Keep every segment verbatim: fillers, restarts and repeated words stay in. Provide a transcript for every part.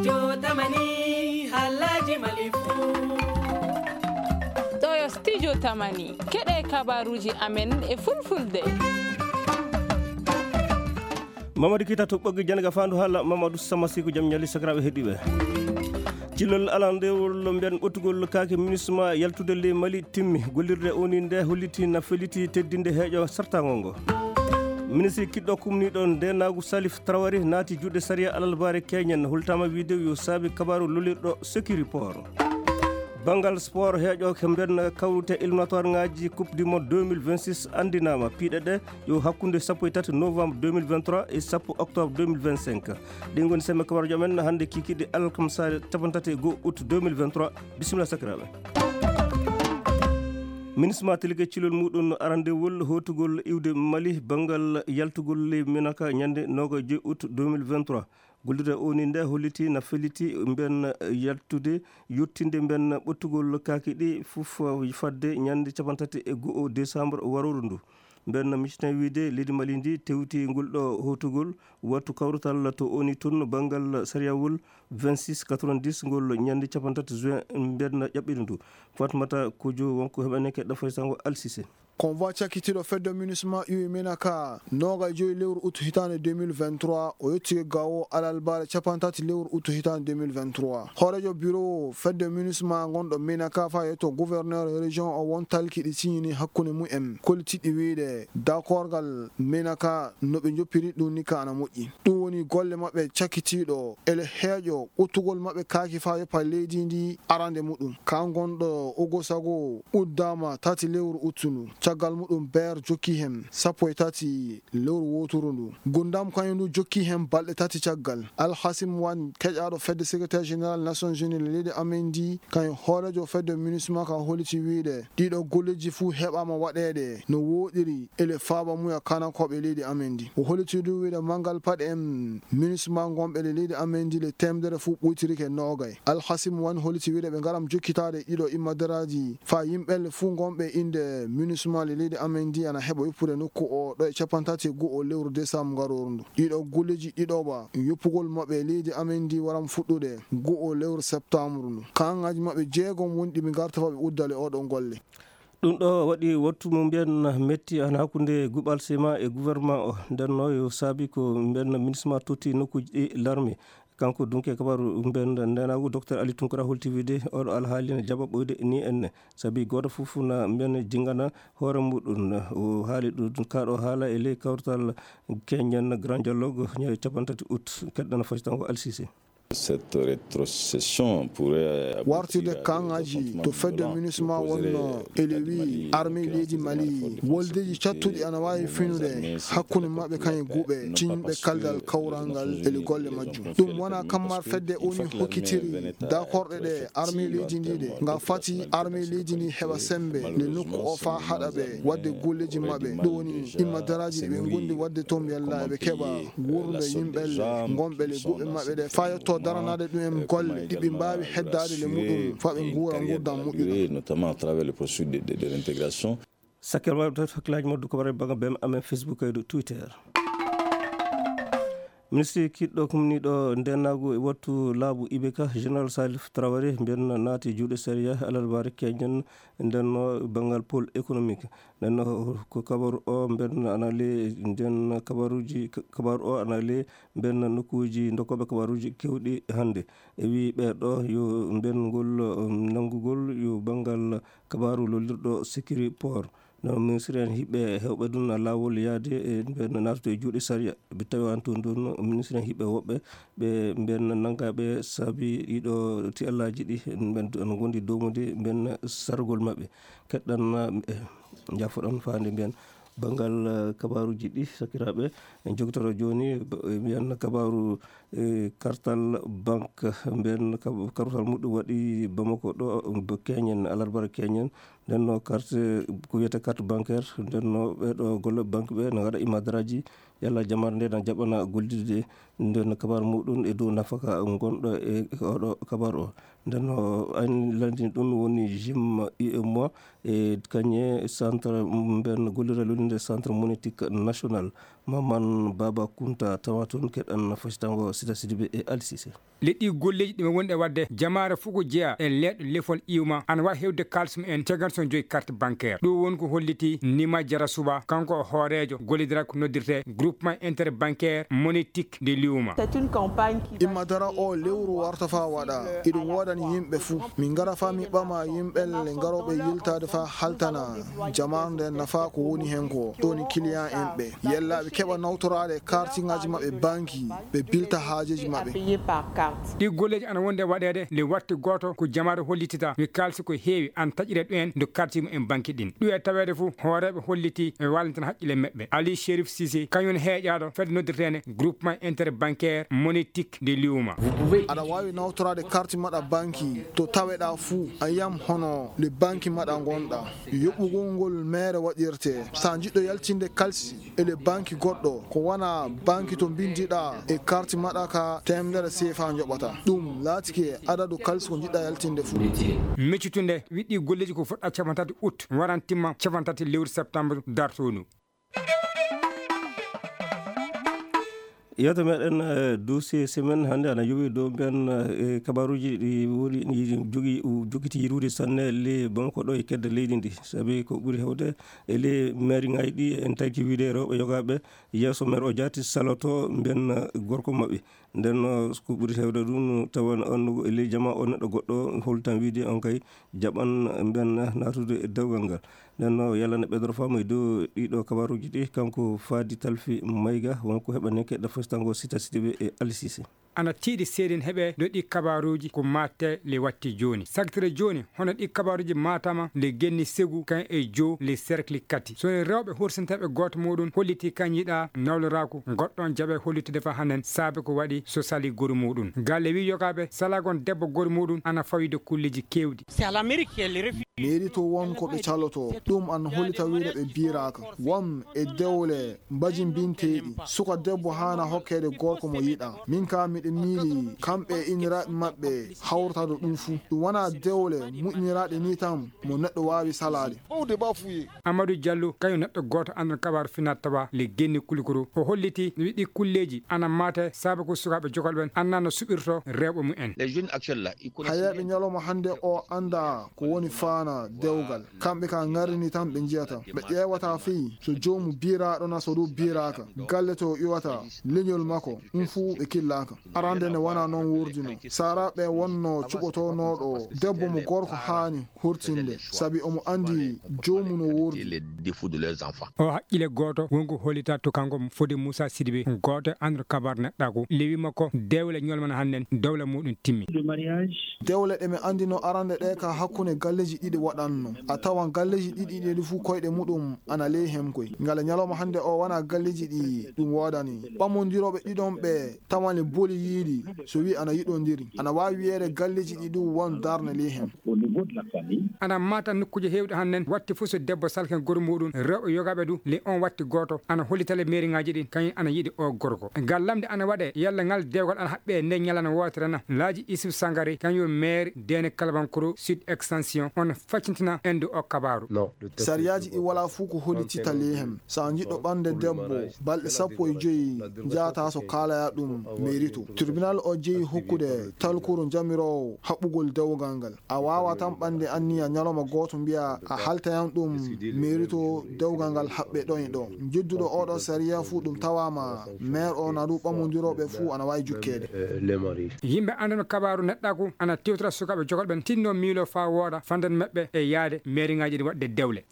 Jotamani, halaji malifu. Ɗo yo Studio Tamani, keɗe kabaruji amen e fulfulde. Mamadou Kita to ɓoggi jannga fandu hala Mamadou Samasiku, jam ñali sakiraɓe heɗiɓe. Cilol alandewol mbiyan ɓottugol kaake MINUSMA yaltude ley Mali timmi. Gollirde O N U nde holliti na feliti teddinde heeƴo sartangol ngo. Ministre kiɗɗo kumniɗo ndenagu Salif Traoré naati juuɗe sariya alalbare keñen, holtama wiide yo saabi kabaru lolirɗo Securiport. Banngal sport, heeƴo ko mbiyan kawrute éliminatoire ngaji Coupe du Monde deux mille vingt-six andinama. Piiɗe ɗe yo hakkunde sappo e tati novembre deux mille vingt-trois e sappo octobre deux mille vingt-cinq. Ɗin ngoni sembe kabaruji amen hannde kikiɗe alkamsa capanɗe tati e go'o août deux mille vingt-trois. Bisimilla sakiraɓe. MINUSMA tilike cilol muɗum arandewol hotugol iwde Mali banngal yaltugol ley Menaka ñande noga e joyi août deux mille vingt-trois. Gollirde O N U nde holliti na feliti mbiyan yaltude, yottinde mbiyan ɓottugol kaaki ɗi fof fadde ñande capanɗe tati e go'o décembre warooru ndu. Mbiyan miciten wiide leydi Mali ndi tewti ngol ɗo hotugol wattu kawrutal to O N U tun banngal sariyawol vingt-six quatre-vingt-dix ngol ñande capanɗe tati juin mbiyan ƴaɓɓiri ndu. Fatmata Kojo wonko heɓaneke ɗo faysango Alsise. Convoi cakkitiiɗo fedde MINUSMA iwi Menaka noga e joyi lewru août hitaande deux mille vingt-trois, o yettike gawo alalbare capanɗe tati lewru août hitaande deux mille vingt-trois. Hoorejo bureau fedde MINUSMA gonɗo Menaka fa yetto gouverneur région o won talki ɗi signini hakkunde mumen, kollitiɗi wiide dakorgal Menaka no ɓe joppiri ɗum ni ka ana moƴƴi. Ɗum woni golle maɓɓe cakkitiiɗo ele heeƴo ɓottugol maɓɓe kaaki fa yoppa leydi ndi arande muɗum. Ka gonɗo Ogosago uddama tati lewru août ndu. Caggal muɗum Ber jokki hen sappo e tati lewru woturu ndu. Gundam kañum ndu jokki hen balɗe tati caggal. Alhasim Wan keƴaɗo fedde secrétaire général Nations Unies le leydi amen ndi, kañum hoorejo fedde MINUSMA ka holliti wiide ɗiɗo golleji fuu heɓama waɗeede no woɗiri ele faaba muya kanakoɓe leydi amen ndi. O holliti du wiide mangal paɗe en MINUSMA gonɓe le leydi amen ndi le temedere fuu ɓuytirike nogay. Alhasim Wan holliti wiide ɓe ngaram jokkitaade ɗiɗo immadaraaji fa yimɓe le fuu gonɓe innde MINUSMA le leydi amen ndi ana heɓa yoppude nokku o ɗo e capanɗe tati e go'o lewru décembre ngarooru ndu. Ɗiɗo golleji ɗiɗo ba yoppugol maɓɓe leydi amen ndi waram fuɗɗude go'o lewru septembre ndu. Kaŋŋaaji maɓɓe jeegom woni ɗi ɓe ngarta fa ɓe uddale oɗo golle. Ɗum ɗo waɗi wattu mo mbiyan metti an hakkunde Guɓal Sema e gouvernement o. Nden no yo saabi ko mbiyan MINUSMA totti nokkuuji ɗi larme. Kanko dunke kabaru mbiyan ndenagu Docteur Ali Tunkara holti wiide oɗo alhaali ne jaɓa ɓoyde ni enne. Sabi gooto fof na mbiyan jingana hoore muɗum. O haali ɗum kaɗo haala e ley kawtal Kenyan Grand Dialogue ñande capanɗe tati août. Keɗɗana fasitango Alsise. Cette rétrocession pourrait aboutir à des affrontements violents qui poseraient une menace très grave à la stabilité du Mali. Wartude kaŋŋaaji to fedde MINUSMA wonno ele wi armée leydi Mali woldeji cattuɗi ana waawi finude hakkunde maɓɓe kañum guɓe cinɓe kaldal kawral ngal ele golle majjum. Ɗum wona kammar fedde O N U hokkitiri dakorɗe ɗe armée leydi ndi ɗe nga fati armée leydi ndi heɓa sembe le nokku o fa haɗa ɓe wadde golleji maɓɓe. Ɗum woni imma daraaji ɗi ɓe ngondi wadde toon mbiyalla eɓe keɓa wuurnude yimɓe le gonɓe le guɓe maɓɓe ɗe fa yetto daranaade ɗum en golle ɗi ɓe mbaawi heddaade le muɗum fa ɓe nguura nguurndam moƴƴuɗam. Notamment à travers le processus de, de, de réintégration. Sakkir waɗde hakkillaji moddu ko waɗa banga bem amen Facebook e Twitter. Ministre kiɗɗo kumniɗo ndenagu e wattu laabu Ibeka, Général Salif Traoré, mbiyan naati juuɗe sariya alarbaare keñen. Nden no banngal pôle économique. Nden no ko kabaru o mbiyan ana le, nden kabaruji, kabaru o ana le mbiyan nokkuuji dokkooɓe kabaruji kewɗi hannde. E wi ɓeɗo yo mbiyan ngol, um, nanngugol yo banngal kabaru lollirɗo Securiport. No ministre en hiɓɓe hewɓe ɗum laawol yaade e ɓen naatude e juuɗe sariya. Ɓe tawi an toon ɗon ministre en hiɓɓe woɓɓe ɓe ɓen nanngaɓe saabi ɗiɗo tiyallaji ɗi ɓen no gondi domude ɓen sargol maɓɓe. Keɗɗan, eh, jaffoɗon faande mbiyan banngal, eh, kabaruji ɗi sakiraɓe en jogotoro joni, b-, mbiyan kabaru, eh, kartal banque mbiyan kab-, kartal muɗum waɗi Bamako ɗo, b-, keñen, alarbara keñen, Nden no carte, ko wiyetee carte bancaire, nden no ɓeeɗo golle banque ɓe no ngaɗa imadaraaji, yalla jamaare nde na jaɓana gollidde. Nden no kabaru muɗum e dow nafaka ngonɗo e oɗo kabaru o. Nden no ayni landini ɗum woni Jim U M O e kañe centre mben gollira lolinde centre monétique national. Maman Baba Kunta tawa toon keɗan fasitango Sita Sidibe e Alsise. Leɗɗi golleeji ɗi wonɗe waɗde jamaare fof ko jeyaa e leeɗo lefol iwma ana waawi heɓde kaalis mumen caggal so joyi carte bancaire. Ɗum woni ko holliti Nima Jara Suba, kanko o hooreejo gollidiral ko noddirtee groupement interbancaire monétique de l'iwma. Imma dara o lewru warta faa waɗa. Iɗum woodani yimɓe fuu. Min ngara faa mi ɓama yimɓe le ngarooɓe yiltaade faa haltana jamaanu nde nafa ko woni heen ko. Ɗoni kiliyan en ɓe yellaaɓe keɓa nawtoraade kartiŋaaji maɓɓe banki, ɓe bilta haajeeji maɓɓe. Ɗi golleeji ana wonde waɗeede le watti gooto ko jamaare hollitita wi kaalisi ko heewi an taƴire ɗumen do karti mumen banki ɗin. Ɗu e taweede fof hooreeɓe holliti e wallitan haqqille meɓɓe. Ali Sherif Sise kañum heeƴaaɗo fedde noddirteende groupement interbancaire monétique de liuma. Aɗa waawi nawtoraade karti maɗa banki to taweɗaa fuu a yiyam hono le banki maɗa ngonɗa. Yoɓɓugol ngol meere waɗirte. So a jiɗɗo yaltinde kalsi e le banki goɗɗo ko wona banki to mbindiɗaa e karti maɗa ka teemedere seefa njoɓata. Ɗum laatike adadu kalsi ko jiɗɗa yaltinde fuu. Meccutunde wiɗɗi golleeji ko fuɗɗa capantati août waran timma capantati lewru septembre dartoondu. Yewte meɗen dossier semaine hannde ana yowi dow mbiyan e kabaruji ɗi woni jogi jogiti yirude sanne le banko ɗo e kedde leydi ndi sabi ko ɓuri hewde e le maire ngaji ɗi en tagki wiide rewɓe yogaɓe yeeso maire o jaati saloto mbiyan gorko maɓɓe. Nden ko ɓuri hewde ɗum tawan on e ley jama o neɗɗo goɗɗo holtan wiide on kay jaɓan mbiyan natude e dewgal ngal. Nden no yalla ne ɓeydoro faamu e dow ɗiɗo kabaruji ɗi kanko faadi talfi mayga wonko heɓaneke ɗo fostango sita sidiɓe e alisise. Ana tiiɗi seedin heɓe ɗo ɗi kabaruji ko matte le watti joni sagtire joni hono ɗi kabaruji matama le genni segu kan e jo le cercle kati so rewɓe horsintaɓe goto muɗum holliti kan yiɗa nawloraku goɗɗon jaɓe hollitude fa hanen saabe ko waɗi so sali goru muɗum galle wi yogaɓe salagon debbo goru muɗum ana fawide kulleji kewɗi. Meeri to won ko ɓe caloto ɗum an holita wiide ɓe biraka won e dewle mbajimbinteeɗi suka debbo haana hokkeede gorko mo yiɗa min ka miɗo miili kamɓe e inniraaɓe maɓɓe hawrata ɗo ɗum fuu ɗum wona dewle muƴƴiniraaɗe ni tan mo neɗɗo waawi salaade. Amadou Diallo kañum neɗɗo gooto anndon kabaru finat tawa le genni kulikuru o holliti wiɗɗi kulleeji ana maate saabe ko sukaaɓe jogol ɓen annda no suɓirto rewɓe mumen. Hayeeɓe ñalawma hannde o annda ko woni faana dewgal kamɓe ka ngarini tan ɓe njiyata ɓe ƴeewata fii so joomu biiraaɗo na so ɗum biiraaka galle to iwata leñol makko ɗum fuu ɓe killaaka. Arande ne wona noon wurdino sara ɓe wonno cuɓotonooɗo debbo mo gorko haani hurtinde sabi omo anndi joomu no wurdi. O haqqile gooto wonko hollita to kanko fode Moussa Sidibe gooto anndor kabar neɗɗaku lewi makko dewle ñolmana hannden dowla muɗum timmi. Dewle ɗe mi anndino arande ɗe ka hakkunde galleeji ɗiɗi waɗanno a tawan galleeji ɗiɗi ɗi fuu koyɗe muɗum ana ley hen koy ngala ñalawma hannde o wona galleeji ɗi ɗum woodani ɓammondirooɓe ɗiɗon ɓe tawan le boli yiiɗi so wi ana yiɗondiri ana waawi wiyeede galleeji ɗi ɗum won darnde ley hen. Ana mata nokkuuje heewɗe hannden watti fof so debbo salken goru muɗum rewɓe yogaɓe du le on watti gooto ana hollita le mairiŋaaji ɗin kañum ana yiɗi o gorko ngal lamde ana waɗe yalla ngal dewgal ana haɓɓe nde ñalana wootere na laaji Isuf Sangare kañum maire dene Kalabankoro sud extension on faccintina ende o kabaru. Sariyaaji ɗi wala fuu ko hollitita ley hen so a jiɗɗo ɓamde debbo balɗe sappo e joyi njahata so kaalaya ɗum mairi to tribunal o jeyi hokkude talkuru jamiroowo haɓɓugol dewgal ngal a waawa tan ɓamde anniya ñalawma gooto mbiya a haltayan ɗum mairi to dewgal ngal haɓɓe ɗon e ɗo jedduɗo oɗo sariya fuu ɗum tawama maire o na ɗum ɓammondirooɓe fuu ana waawi jukkeede. Yimɓe anndano kabaru neɗɗaku ana tewtira sukaaɓe jogol ɓen tinno miilo faa wooɗa fandan maɓɓe e yaade mairiŋaaji ɗi waɗde dewle.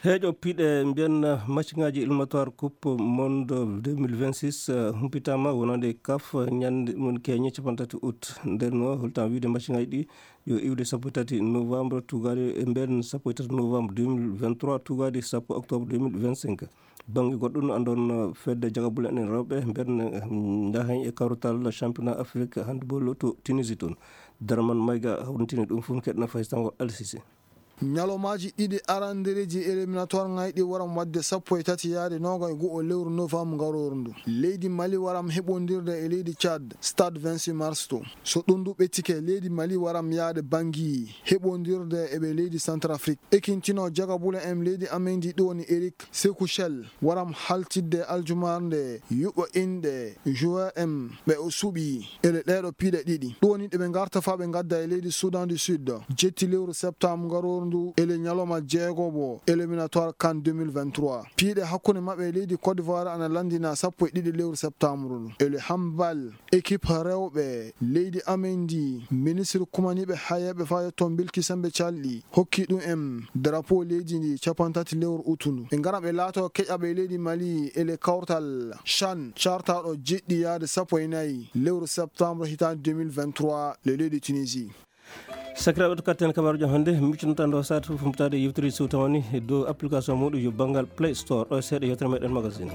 Heeƴo piɗe mbiyan maciŋaaji éliminatoire coupe monde deux mille vingt-six humpitaama wonande kaf ñande ɗum keñe capantati août. Nden no holtan wiide maciŋaaji ɗi yo iwde sappo e tati novembre tugaade e mben sappo e tati novembre deux mille vingt-trois tugaade sappo octobre deux mille vingt-cinq. Bannge goɗɗo no andon fedde jagabule en rewɓe mben ndahen e kawrutal championnat afrique handball to Tunisie toon. Darman mayga hawrintini ɗum fof keɗna faysango alsise. Ñalawmaaji ɗiɗi arandereeji éliminatoire ngayɗi waram waɗde sappo e tati yaade noogay e go'o lewru novembre ngarooru ndu. Leydi Mali waram heɓondirde e leydi Tchad, Stade vingt-six mars to. So ɗum ndu ɓettike, leydi Mali waram yaade Bangui heɓondirde e ɓe leydi Centrafrique. Ekintino jagabule en leydi amen ndi ɗo woni Eric Sekouchel waram haltidde aljumaare nde yuɓɓo inɗe joueur en ɓe o suɓi ele ɗeeɗo piiɗe ɗiɗi. Ɗum woni ɗe ɓe ngarta faa ɓe ngadda e leydi Soudan du Sud. Jetti lewru septembre ngarooru ndu ele ñalawma jeegoɓo éliminatoire CAN deux mille vingt-trois. Piiɗe hakkunde maɓɓe e leydi Côte d'Ivoire ana lanndina sappo e ɗiɗi lewru septembre ndu. Ele handball, équipe rewɓe leydi amen ndi, ministre kumaniiɓe hayeeɓe faa yetto Bilki Sembe Calɗi hokki ɗum en drapeau leydi ndi capantati lewru utu ndu. Ɓe ngara ɓe laato keƴaɓe leydi Mali ele kawtal CHAN cartaaɗo jeɗɗi yaade sappo e nayi lewru septembre hitaande deux mille vingt-trois le leydi Tunisie. Sakiraaɓe, to katten kabaaruuji hannde, miccunoɗen ɗo saatu fof mutaade yewtere Siwtawani dow application muɗum yo banngal Play Store. Ɗo e seeɗa yewtere meɗen magazine.